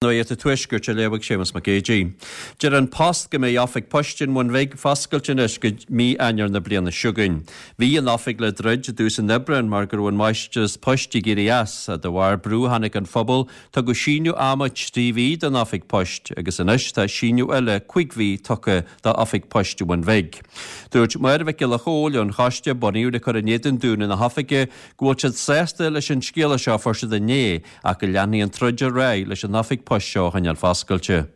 Nuacht an Tuaiscirt á léamh ag Séamus Mac Géidigh. Deir An Post go mbeidh oifig poist an Bhun Bhig foscailte anois go mí Eanáir na bliana seo chugainn. Bhí an oifig le druid i dtús an Aibreáin mar go raibh an máistreás poist ag éirí as. De bharr brú a tháinig ón phobal, tugadh síneadh ama 3 mhí don oifig poist agus anois tá síneadh eile 5 mhí tugtha d'oifig poist an Bhun Bhig. Dúirt Máire Mhic Giolla Chóill ón choiste a bunaíodh le cur in éadan dúnadh na hoifige go bhfuil siad sásta leis an scéala seo a fuair siad inné Ach go leanfaidh an troid ar aghaidh leis an oifig poist seo a choinneáil foscailte.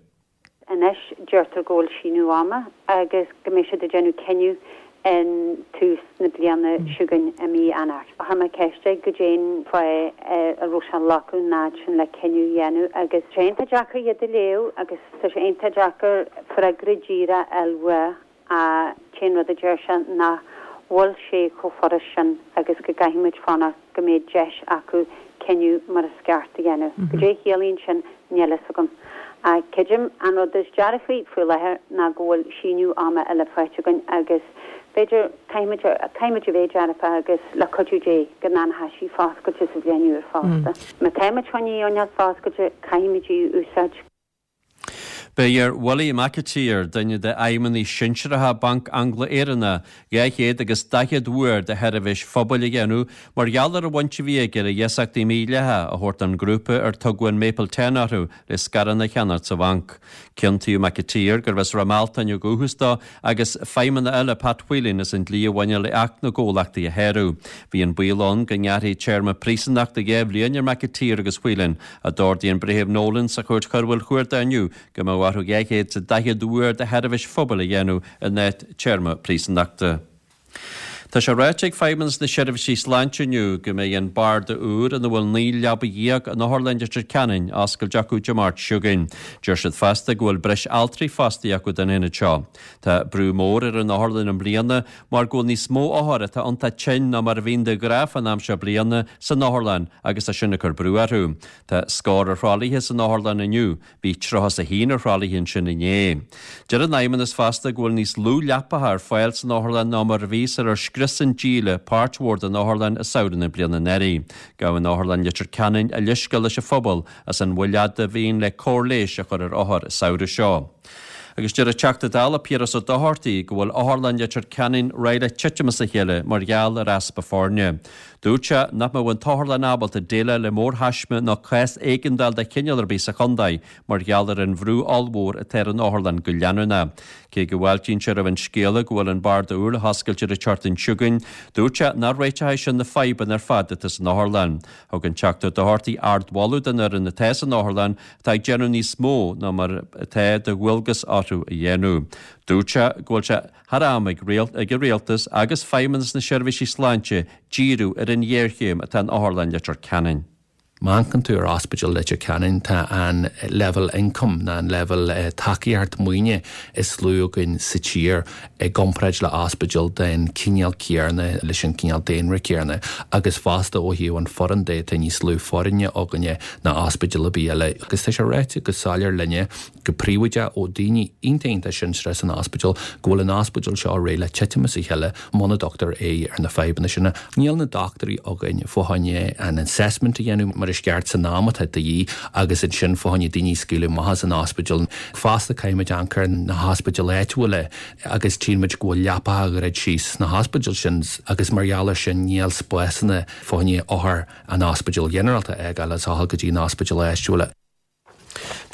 Anois deirtear go bhfuil síneadh ama agus go mbeidh siad ag déanamh cinneadh in tús na bliana seo chugainn i mí Eanáir. Chuir mé ceist air goidé'n fáth a raibh sé ag glacadh an fhad sin le cinneadh a dhéanamh agus tá sé iontach deacair iad a léamh agus tá sé iontach deacair freagra díreach a fháil uaidh. An t-aon rud a deir sé nach bhfuil sé chomh furast sin agus go gcaithfidh muid fanacht go mbeidh deis acu cinneadh mar is ceart a dhéanamh. Goidé a chiallaíonn sin, níl fhios agam. Ach creidim an rud is dearfaí faoi láthair ná go bhfuil síneadh ama eile faighte againn agus b'fhéidir, caithfidh muid, caithfidh muid a bheith dearfach agus le cuidiú Dé go nd'fhanfaidh sí foscailte sa bhliain úr fosta. Má tá muid chun í a choinneáil foscailte, caithfidh muid í a úsáid. Beidh ar Willie McAteer, duine d'fheidhmeannaigh sinsearacha Banc Angla-Éireannach, 200 agus 40 uair de sheirbhís phobail a dhéanamh mar gheall ar an bhaint a bhí aige le hiasachtaí mídhleathacha a thabhairt don ghrúpa ar tugadh an Maple Ten orthu le scaireanna a cheannacht sa bhanc. Ciontaíodh McAteer, gurbh as Ráth Mealtain ó dhúchas dó, agus feidhmeannach eile, Pat Whelan, as an dlí a bhaineann le Acht na gComhlachtaí a shárú. Bhí an baol ann go ngearrfaí téarma príosúnachta 2 bhliain ar McAteer agus Whelan, Ach d'ordaigh an Breitheamh Nolan sa Chúirt Choiriúil Chuarda inniu go mbeadh orthu 240 uair de sheirbhís phobail a dhéanamh in áit téarma príosúnachta. Tá sé ráite ag Feidhmeannas na Seirbhísí Sláinte inniu go mbeidh an barda úr ina bhfuil 19 leaba in Otharlann Leitir Ceanainn á oscailt acu Dé Máirt seo chugainn. Deir siad fosta go bhfuil breis altraí fostaithe acu don aonad seo. Tá brú mór ar an otharlann i mbliana mar go bhfuil níos mó othar atá iontach tinn ná mar a bhíonn de ghnáth fán am seo bliana san otharlann agus tá sin ag cur brú orthu. Tá scór ar thralaithe san otharlann inniu, bhí 31 ar thralaithe ansin inné. Deir an Fheidhmeannas fosta go bhfuil níos lú leapacha ar fáil san otharlann ná mar a bhí sular scrios an díle páirt mhór den otharlann i samhradh na bliana anuraidh. Gabhann Otharlann Leitir Ceanainn a leithscéal leis an phobal as an mhoill fhada a bhíonn le cóir leighis a chur ar othair an samhradh seo. Agus deir an Teachta Dála Piaras Ó Dochartaigh go bhfuil Otharlann Leitir Ceanainn réidh le titim as a chéile mar gheall ar easpa foirne. Dúirt sé nach mbeadh an t-otharlann ábalta déileáil le mórthaisme ná cás éigeandáil de chineál ar bith sa chontae mar gheall ar an bhrú ollmhór atá ar an otharlann go leanúnach. Cé go bhfáiltíonn sé roimh an scéala go bhfuil an barda úr le hoscailt ar an tseachtain seo chugainn, dúirt sé nach réiteoidh sin na fadhbanna ar fad atá san otharlann. Thug an Teachta Ó Dochartaigh ardmholadh don fhoireann atá san otharlann atá ag déanamh níos mó ná mar atá de dhualgas orthu a dhéanamh. Dúirt sé go bhfuil sé thar am ag ag an Rialtas agus Feidhmeannas na Seirbhísí Sláinte díriú ar an ghéarchéim atá in Otharlann Leitir Ceanainn. Má amharcann tú ar Ospidéal Leitir Ceanainn tá an leibhéal ioncaim ná an leibhéal tacaíocht maoine is lú againn sa tír i gcomparáid le ospidéal den chineál céanna leis an cineál daonra céanna agus fosta ó thaobh an foireann de tá níos lú foirne againne ná ospidéal ar bith eile agus tá sé ráite go soiléir linne go príobháideach ó daoine iontach iontach sinsearach san ospidéal go bhfuil an ospidéal seo réidh le titim as a chéile muna dtugtar aghaidh ar na fadhbanna sin. Níl na dochtúirí againn fá choinne an assessment a dhéanamh mar is ceart san am atá de dhíth agus ansin fá choinne daoine a scaoileadh amach as an ospidéal. Fosta caithfimid amharc ar na hospidéil áitiúla agus tchíonn muid go bhfuil leapacha á dhruid síos sna hospidéil sin agus mar gheall ar sin níl spásanna fá choinne othair an ospidéil ghinearálta a fhágáil is a dhul go dtí na hospidéil áitiúla.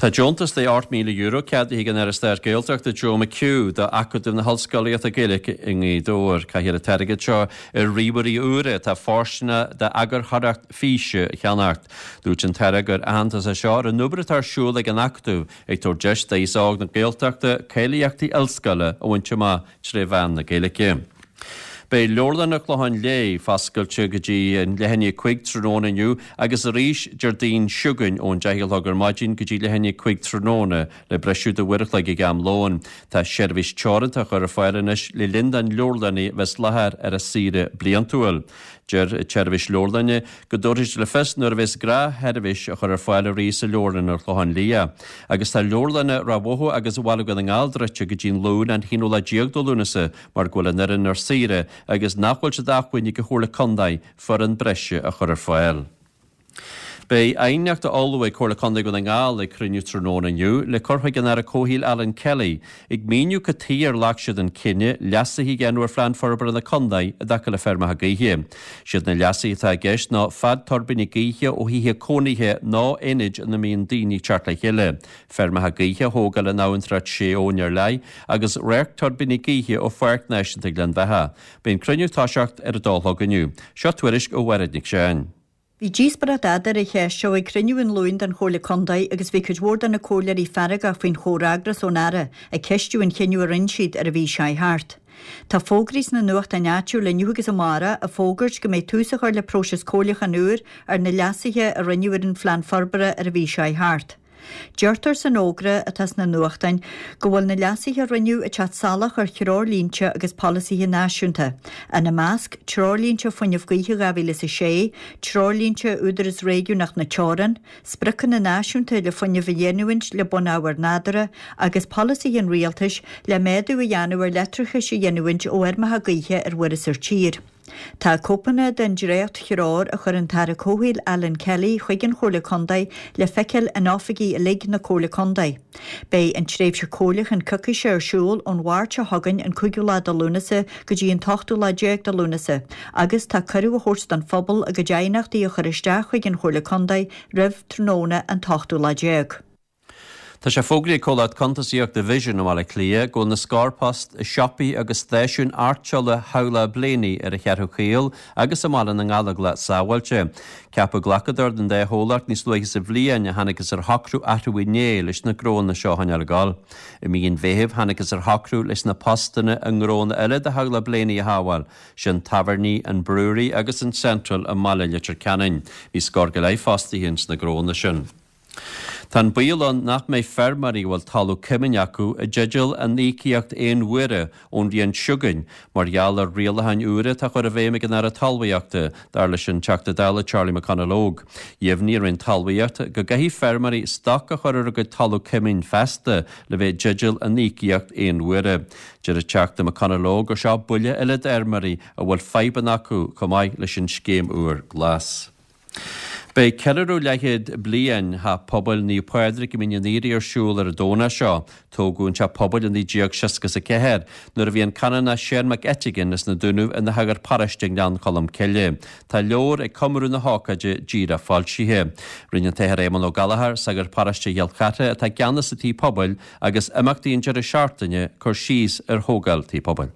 Tá deontas de €8,000 ceadaithe ag an Aire Stáit Gaeltachta Joe McHugh do Acadamh na hOllscolaíochta Gaeilge i nGaoth Dobhair. Caithfear an t-airgead seo ar ríomhairí úra atá fóirsteanach d'eagarthóireacht físe a cheannacht. Dúirt an tAire gur aitheantas é seo ar an obair atá ar siúl ag an Acadamh ag tabhairt deis d'aos óg na Gaeltachta cáilíochtaí ollscoile a bhaint amach tré mheán na Gaeilge. Beidh Leabharlann an Chlocháin Léith foscailte go dtí an leath i ndiaidh 5 tráthnóna inniu agus arís Déardaoin seo chugainn ón 10 a chlog ar maidin go dtí leath i ndiaidh 5 tráthnóna le briseadh do uair a chloig ag am lóin. Tá seirbhís teoranta á chur ar fáil anois le linn don leabharlannaí bheith as láthair ar a saoire bliantúil. Deir an tseirbhís leabharlainne go dtabharfaidh siad le fios nuair a bheas gnáthsheirbhís á chur ar fáil arís i Leabharlann an Chlocháin Liath. Agus tá leabharlanna Ráth Bhoth agus Bhaile Dhún na nGall druidte go dtí an Luan an t-aonú lá déag de Lúnasa mar go bhfuil an fhoireann ar saoire agus nach bhfuil sé d'acmhainn ag an Chomhairle Contae foireann breise a chur ar fáil. Beidh aighneacht á ullmhú ag Comhairle Contae Dhún na nGall ag cruinniú tráthnóna inniu le cur chuig an Aire Comhshaoil Alan Kelly ag míniú cad tuighe ar ghlac siad an cinneadh leasuithe a dhéanamh ar Phlean Forbartha na Contae i dtaca le feirmeacha gaoithe. Siad na leasuithe atá i gceist ná fad tuirbíní gaoithe ó thithe cónaithe ná aonaid ina mbíonn daoine ag teacht le chéile, feirmeacha gaoithe a thógáil in abhantrach sé abhainn ar leith agus radharc tuirbíní gaoithe ó Pháirc Náisiúnta Ghleann Bheatha. Beidh an cruinniú ag toiseacht ar a dó a chlog inniu. Seo tuairisc ó Mhairéad Nic Seáin. Bhí díospóireacht fhada ar an cheist seo ag cruinniú an Luain den Chomhairle Contae agus bhí cuid mhór de na comhairleoirí feargach faoin chomhfhreagras ón Aire ag ceistiú an chinnidh a rinne siad ar an mhí seo thart. Tá fógraí sna nuachtáin áitiúil inniu agus amárach ag fógairt go mbeidh tús á chur le próiseas comhairliúcháin úr ar na leasuithe a rinneadh ar an phlean forbartha ar an mhí seo thart. Deirtear san fhógra atá sna nuachtáin go bhfuil na leasuithe a rinneadh ag teacht salach ar threoirlínte agus polasaithe náisiúnta, ina measc, Treoirlínte Fuinneamh Gaoithe 2006, Treoirlínte Údarás Réigiúnach na Teorann, Spriocanna Náisiúnta le Fuinneamh a Ghiniúint le Bunábhair Nádúrtha agus polasaithe an Rialtais le méadú a dhéanamh ar leictreachais a ghiniúint ó fheirmeacha gaoithe ar mhuir is ar tír. Tá cóipeanna den dréacht-threoir a chuir an tAire Comhshaoil Alan Kelly chuig an Chomhairle Contae le feiceáil in oifigí uilig na Comhairle Contae. Beidh an tréimhse comhairliúcháin coicíse ar siúl ón Mháirt seo chugainn an cúigiú lá de Lúnasa go dtí an t-ochtú lá déag de Lúnasa agus tá cuireadh á thabhairt don phobal a gcuid aighneachtaí a chur isteach chuig an Chomhairle Contae roimh tráthnóna an t-ochtú lá déag. Tá sé fógraithe ag comhlacht cuntasaíochta Vision i mBaile Átha Cliath go bhfuil na scór post i siopaí agus stáisiúin airteála theaghlach Blaney ar an Cheathrú Chaol agus i mBaile na nGallóglach sábháilte. Ceapadh glacadóir don dá chomhlacht níos luaithe sa bhliain ach thángthas ar shocrú athrú inné leis na gnóanna seo a choinneáil ag dul. I mí an Mheithimh thángthas ar shocrú leis na postanna i ngnóanna eile de theaghlach Blaney a shábháil, sin tábhairní an Brewery agus an Central i mbaile Leitir Ceanainn. Bhí scór go leith fostaithe ins na gnóanna sin. Tá an baol ann nach mbeidh feirmeoirí a bhfuil talamh cuiminn acu i dteideal an íocaíocht aon uaire ón bhliain seo chugainn mar gheall ar rialacháin úra atá á chur i bhfeidhm ag an Aire Talmhaíochta, dar leis an Teachta Dála Charlie McConalogue. Dheimhnigh an Roinn Talmhaíochta go gcaithfidh feirmeoirí stoc a chur ar a gcuid talamh cuiminn feasta le bheith i dteideal an íocaíocht aon uaire. Deir an Teachta McConalogue gur seo buille eile d'fheirmeoirí a bhfuil fadhbanna acu chomh maith leis an scéim úr Glas. Beidh ceiliúradh leathchéad bliain Theach Pobail Naomh Pádraig i Mín an Aoire ar siúl ar an Domhnach seo. Tógadh an teach pobail i 1964 nuair a bhí an Canónach Seán Mac Eiteagáin as na Dúnaibh ina shagart paróiste i nGleann Cholm Cille. Tá leabhar ag comóradh na hócáide díreach foilsithe. Rinne an tAthair Éamonn Ó Gallchóir, sagart paróiste Chill Chartha atá i gceannas sa tigh pobail agus imeachtaí an deireadh seachtaine, cur síos ar thógáil tigh pobail.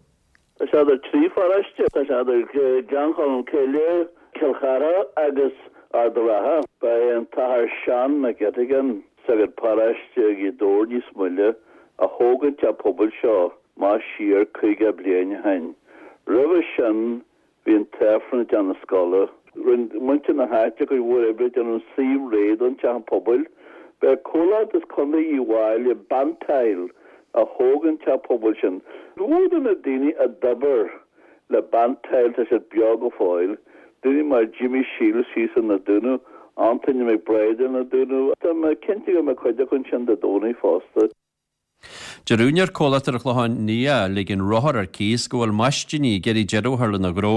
Tá sé idir thrí pharóiste. Tá sé idir Gleann Cholm Cille, Cill Chartha agus Ard a' Rátha. Ba é an tAthair Seán Mac Eiteagáin, sagart paróiste i nGaoth Dobhair níos moille, a thóg an teach pobail seo amach siar 50 bliain ó shin. Roimhe sin Bhí an t-Aifreann i dteach na scoile. Rinne muintir na háite cuid mhór oibre ag déanamh suíomh réidh don teach pobail. Ba é comhlacht as Contae Uíbh Fhailí, Bantile, a thóg an teach pobail sin. Cuid mhór de na daoine a d'oibir le Bantile, tá siad beo go fóill. Daoine mar Jimmy Shields thíos in Na Dúnaibh, Antaine McBride in Na Dúnaibh. Tá mé cinnte go mbeidh cuid acu ansin Dé Domhnaigh fosta. Deir úinéir comhlachta ar an Chlochán Liath a ligeann rothar ar cíos go bhfuil maistíní ag iarraidh deireadh a chur lena ghnó.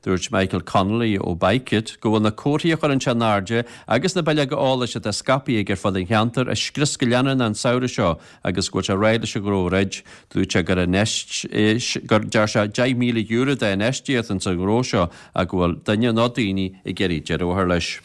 Dúirt Michael Connolly ó Bike It go bhfuil na comharthaí a chuireann sé in airde agus na bileoga eolais atá scaipthe aige ar fud an cheantair á scrios go leanúnach an samhradh seo agus go bhfuil sé réidh leis an ghnó a dhruid. Dúirt sé gur gur deir sé €10,000 d'infheistíocht ins an ghnó seo ach go bhfuil duine nó daoine ag iarraidh deireadh a chur leis.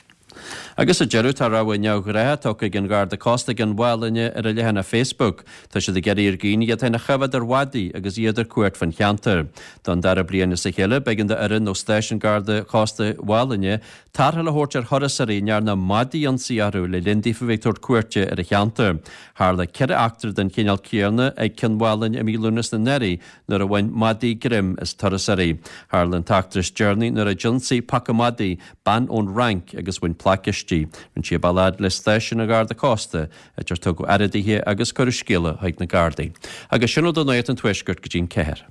Agus sa deireadh, tá rabhadh neamhghnách tugtha ag an Gharda Cósta i gCionn Mhálainne ar a leathanach Facebook. Tá siad ag iarraidh ar dhaoine iad féin a choimhéad ar mhaidí agus iad ar cuairt fan cheantar. Don dara bliain as a chéile, b'éigean d'fhoireann ó Stáisiún Garda Cósta Mhálainne tarrtháil a thabhairt ar thurasóirí a ndearna madaí ionsaí orthu le linn daofa bheith ag tabhairt cuairte ar an cheantar. Tharla 4 eachtra den chineál céanna ag Cionn Mhálainne i mí Lúnasa anuraidh nuair a bhain madaí greim as turasóirí. Tharla an t-eachtra is deireanaí nuair a d'ionsaigh paca madaí bean ón Fhrainc agus bhain plaic aisti. Rinne sí a bealach fhad le stáisiún an Gharda Cósta, áit ar tugadh aire dithe agus cuireadh scéala chuig na Gardaí. Agus sin a bhfuil de Nuacht an Tuaiscirt go dtí'n 4.